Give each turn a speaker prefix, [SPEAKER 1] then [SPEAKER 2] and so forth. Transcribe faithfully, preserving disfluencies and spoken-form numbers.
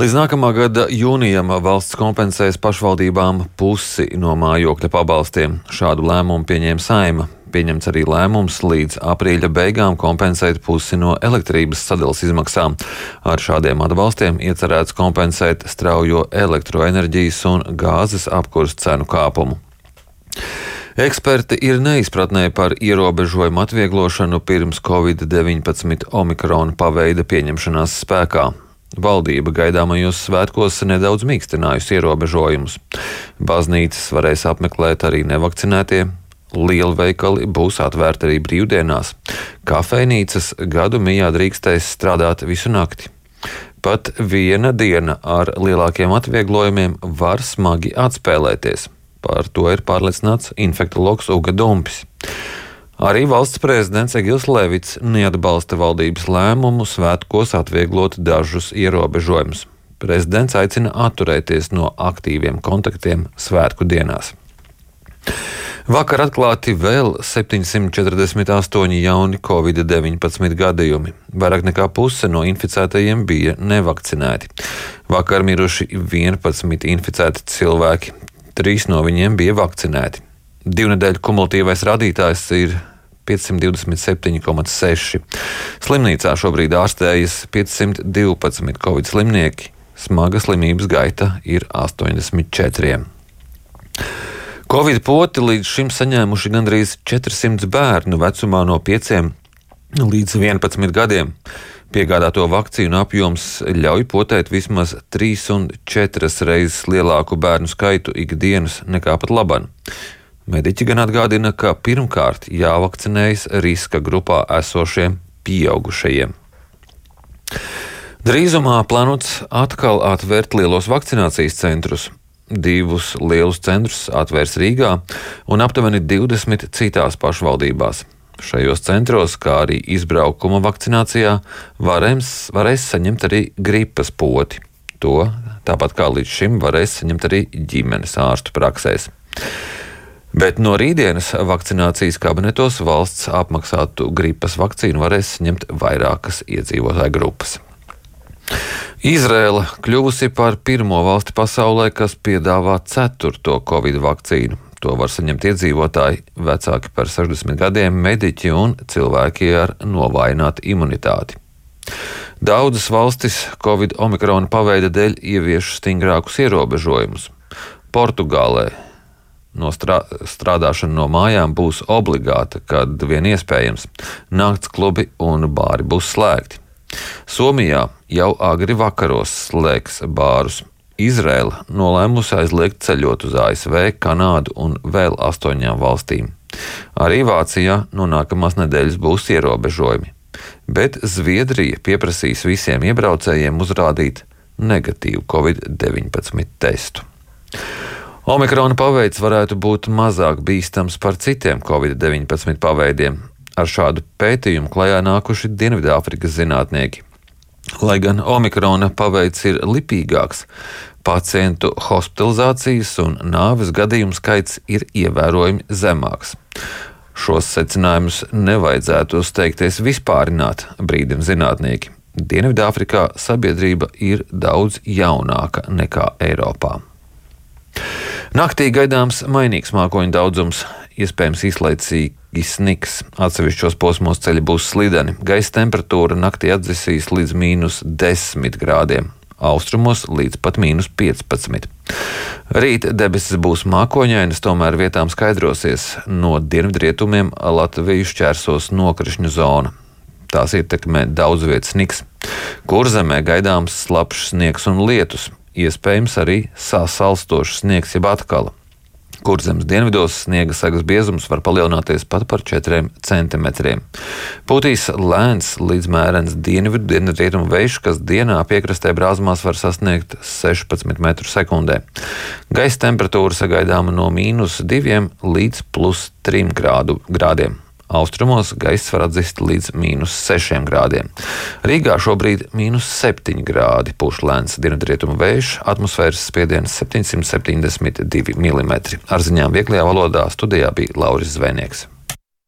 [SPEAKER 1] Līdz nākamā gada jūnijam valsts kompensēs pašvaldībām pusi no mājokļa pabalstiem. Šādu lēmumu pieņēma Saeima. Pieņemts arī lēmums līdz aprīļa beigām kompensēt pusi no elektrības sadalas izmaksām. Ar šādiem atbalstiem iecerēts kompensēt straujo elektroenerģijas un gāzes apkures cenu kāpumu. Eksperti ir neizpratnē par ierobežojumu atvieglošanu pirms covid deviņpadsmit omikrona paveida pieņemšanās spēkā. Valdība gaidāmajos svētkos nedaudz mīkstinājusi ierobežojumus. Baznīcas varēs apmeklēt arī nevakcinētie, lielveikali būs atvērti arī brīvdienās, kafejnīcas gadu mijā drīkstēs strādāt visu nakti. Pat viena diena ar lielākiem atvieglojumiem var smagi atspēlēties. Par to ir pārliecināts infektologs Uga Dumpis. Arī valsts prezidents Egils Levits neatbalsta valdības lēmumu svētkos atvieglot dažus ierobežojumus. Prezidents aicina atturēties no aktīviem kontaktiem svētku dienās. Vakar atklāti vēl septiņsimt četrdesmit astoņi jauni covid deviņpadsmit gadījumi. Vairāk nekā puse no inficētajiem bija nevakcinēti. Vakar miruši vienpadsmit inficēti cilvēki, trīs no viņiem bija vakcinēti. Divnedēļu kumulatīvais rādītājs ir piecsimt divdesmit septiņi komats seši. Slimnīcā šobrīd ārstējas piecsimt divpadsmit covid slimnieki, smaga slimības gaita ir astoņdesmit četri. Covid poti līdz šim saņēmuši gandrīz četrsimt bērnu vecumā no pieciem līdz vienpadsmit gadiem. Piegādāto vakcīnu apjoms ļauj potēt vismaz trīs un četras reizes lielāku bērnu skaitu ikdienas nekā pat laban. Mediķi gan atgādina, ka pirmkārt jāvakcinējas riska grupā esošiem pieaugušajiem. Drīzumā plānots atkal atvērt lielos vakcinācijas centrus. Divus lielus centrus atvērs Rīgā un aptuveni divdesmit citās pašvaldībās. Šajos centros, kā arī izbraukuma vakcinācijā, varēs, varēs saņemt arī gripas poti. To, tāpat kā līdz šim, varēs saņemt arī ģimenes ārstu praksēs. Bet no rītdienas vakcinācijas kabinetos valsts apmaksātu gripas vakcīnu varēs saņemt vairākas iedzīvotāju grupas. Izraela kļuvusi par pirmo valsti pasaulē, kas piedāvā ceturto covid vakcīnu. To var saņemt iedzīvotāji vecāki par sešdesmit gadiem, mediķi un cilvēki ar novājinātu imunitāti. Daudzas valstis covid omikrona paveida dēļ ievieš stingrākus ierobežojumus. Portugālē no strā, strādāšana no mājām būs obligāta, kad vien iespējams. Nakts klubi un bāri būs slēgti. Somijā jau agri vakaros slēgs bārus. Izraela nolēmusi aizliegt ceļot uz A S V, Kanādu un vēl astoņām valstīm. Arī Vācijā no nākamās nedēļas būs ierobežojumi, bet Zviedrija pieprasīs visiem iebraucējiem uzrādīt negatīvu covid deviņpadsmit testu. Omikrona paveids varētu būt mazāk bīstams par citiem covid deviņpadsmit paveidiem. Ar šādu pētījumu klajā nākuši Dienvidāfrikas zinātnieki. Lai gan omikrona paveids ir lipīgāks, pacientu hospitalizācijas un nāves gadījumu skaits ir ievērojami zemāks. Šos secinājumus nevajadzētu steigties vispārināt, brīdina zinātnieki. Dienvidāfrikā sabiedrība ir daudz jaunāka nekā Eiropā. Naktī gaidāms mainīgs mākoņu daudzums, iespējams īslaicīgi sniks. Atsevišķos posmos ceļi būs slideni. Gaisa temperatūra naktī atdzisīs līdz mīnus desmit grādiem, austrumos līdz pat mīnus piecpadsmit. Rīt debesis būs mākoņainas, tomēr vietām skaidrosies. No dienvidrietumiem Latviju šķērsos nokrišņu zona. Tās ietekmē daudz vietas sniks. Kurzemē gaidāms slapjš sniegs un lietus. Iespējams arī sasalstošs sniegs jeb atkala. Kurzemes dienvidos sniega segas biezums var palielināties pat par četriem centimetriem. Pūtīs lēns līdz mērens dienvidu dienvidrietumu vējš, kas dienā piekrastē brāzmās var sasniegt sešpadsmit metrus sekundē. Gaisa temperatūra sagaidāma no mīnus diviem līdz plus trim grādu, grādiem. Austrumos gaiss var atzist līdz mīnus sešiem grādiem. Rīgā šobrīd mīnus septiņi grādi, pūš lēns dienvidrietumu vējš, atmosfēras spiediens septiņsimt septiņdesmit divi milimetri. Ar ziņām vieglajā valodā studijā bija Lauris Zvejnieks.